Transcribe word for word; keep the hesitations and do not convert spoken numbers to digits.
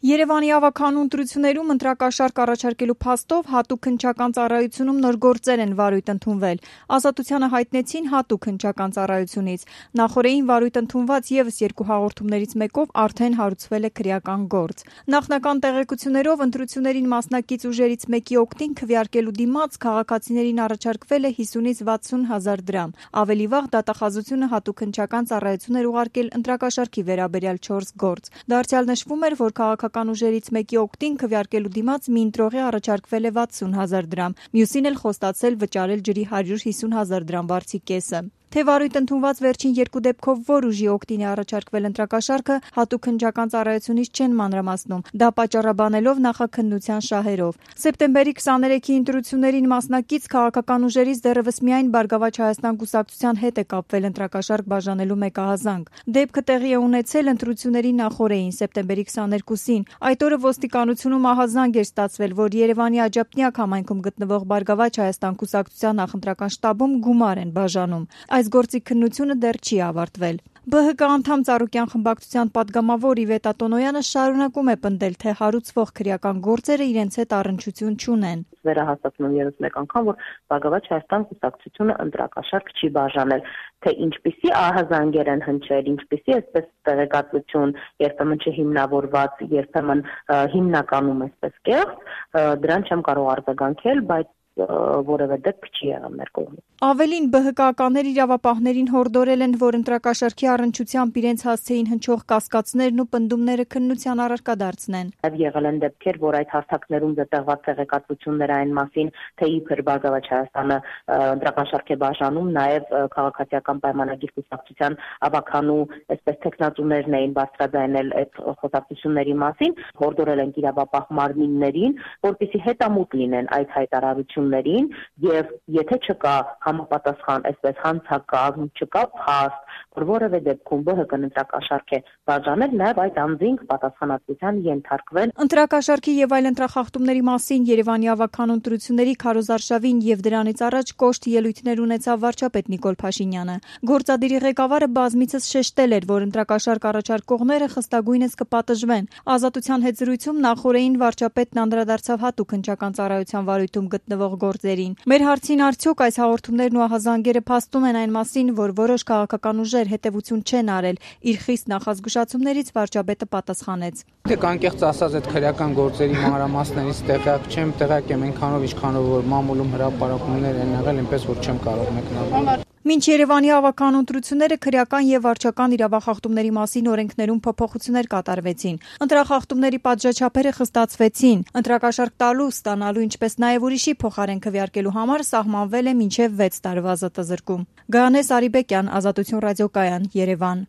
Երևանի ավագանու ընտրություններում ընտրակաշառք առաջարկելու փաստով հատուկ հնչական ծառայությունում նոր գործեր են վարույթ ընդունվել։ Ազատությանը հայտնեցին հատուկ հնչական ծառայությունից։ Նախօրեին վարույթ ընդունված ևս երկու հաղորդումներից մեկով արդեն հարուցվել է քրեական գործ։ Նախնական տեղեկություններով ընտրություններին մասնակից ուժերից մեկի օգտին քվեարկելու դիմաց քաղաքացիներին առաջարկվել է հիսունից վաթսուն հազար դրամ։ Ավելի վաղ դատախազությունը հատուկ հնչական ծառայություն էր ուղարկել ընտրակաշառքի վերաբերյալ չորս գործ։ Դարձյալ նշվում էր, որ քաղաքական ուժերից մեկի օգտին քվեարկելու դիմաց մի ընտրողի առաջարկվել է վաթսուն հազար դրամ, մյուսին էլ խոստացել վճարել ջրի հարյուր հիսուն հազար դրամ վարձի կեսը։ Թե վարույթ ընդունված վերջին երկու դեպքով որ ուժի օգտին է առաջարկվել ընտրակաշառքը, հատուկ հնչական ծառայությունից չեն մանրամասնում, դա պատճառաբանելով նախաքննության շահերով։ Սեպտեմբերի քսաներեքի ընտրություններին մասնակից քաղաքական ուժերից դեռևս միայն Բարգավաճ Հայաստան կուսակցության հետ է կապվել ընտրակաշառք բաժանելու մեկահազանգ։ Դեպքը տեղի է ունեցել ընտրությունների նախօրեին, սեպտեմբերի քսաներկուսին։ Այդ օրը ոստիկանությունում ահազանգ էր ստացվել, որ Երևանի Աջափնյակ համայնքում գտնվող Բարգավաճ Հայաստան կուսակցության նախընտրական շտաբում գումար են բաժանում։ Այս գործի քննությունը դեռ չի ավարտվել։ Բը հը կը անդամ Ծառուկյան խմբակցության պատգամավոր Իվետա Տոնոյանը շարունակում է պնդել, թե հարուցվող քրեական գործերը իրենց հետ առնչություն չունեն։ Վերահաստատում ևս մեկ անգամ, որ Բարգավաճ Հայաստան կուսակցությունը ընտրակաշառք չի բաժանել, թե ինչպիսի ահազանգեր են հնչել, ինչպիսի այսպես տեղեկատվություն, երբեմն չհիմնավորված, երբեմն հիմնականում այսպես կեղծ, դրան չեմ կարող արձագանքել, բայց որևէ դեպք չի եղել մեր կողմից։ Ավելին, բը հը կայականներ իրավապահներին հորդորել են, որ ընտրակաշառքի առնչությամբ իրենց հասցեին հնչող կասկածներն ու պնդումները քննության առարկա դարձնեն։ Նաև եղել են դեպքեր, որ այդ հարթակներում զտեղված տեղեկատվություններ այն մասին, թե իբր Բարգավաճ Հայաստանը ընտրակաշառք է բաժանում, նաև քաղաքացիական պայմանագիր կուսակցության ավագանու այսպես տեխնատուներն էին բարձրաձայնել այդ խոսակցությունների մասին, հորդորել են իրավապահ մարմիններին, որպեսզի հետամուտ լինեն այդ հայտարարություններին եւ եթե չկա համապատասխան այսպես հանցակազմ, չկա փաստ, որ որևէ դեպքում ԲՀԿ ընտրակաշառք է բաժանել, նաև այդ անձինք պատասխանատվության ենթարկվեն։ Ընտրակաշառքի եւ այլ ընտրախախտումների մասին Երևանի ավագանու ընտրությունների քարոզարշավին եւ դրանից առաջ կոշտ ելույթներ ունեցավ վարչապետ Նիկոլ Փաշինյանը։ Գործադիրի ղեկավարը բազմիցս շեշտել էր, որ ընտրակաշառք առաջարկողները խստագույնս կպատժվեն։ Ազատության հետ զրույցում նախօրեին վարչապետն անդրադարձավ հատուկ հնչական ծառայության վարույթում գտնվող գործերին։ Մեր հարցին արդյոք այս հաղորդումներն ու ահազանգերը փաստում են այն մասին, որ որոշ քաղաքական ուժեր հետևություն չեն արել, իր խիստ նախազգուշացումներից վարչապետը պատասխանեց։ Թե կանկեղծ ասած այդ քրեական գործերի մանրամասներից տեղյակ չեմ, տեղյակ եմ այնքանով, ինչքանով որ մամուլում հրապարակումներ են եղել, այնպես որ չեմ կարող մեկնաբանել։ Մինչ Երևանի ավագանու ընտրությունները քրեական եւ վարչական իրավախախտումների մասին օրենքներում փոփոխություններ կատարվեցին։ Ընտրախախտումների պատժաչափերը խստացվեցին։ Ընտրակաշառք տալու, ստանալու, ինչպես նաեւ ուրիշի փոխարեն քվեարկելու համար սահմանվել է մինչեւ վեց տարվա զտզրկում։ Գայանե Սարիբեկյան, Ազատություն ռադիոկայան, Երևան։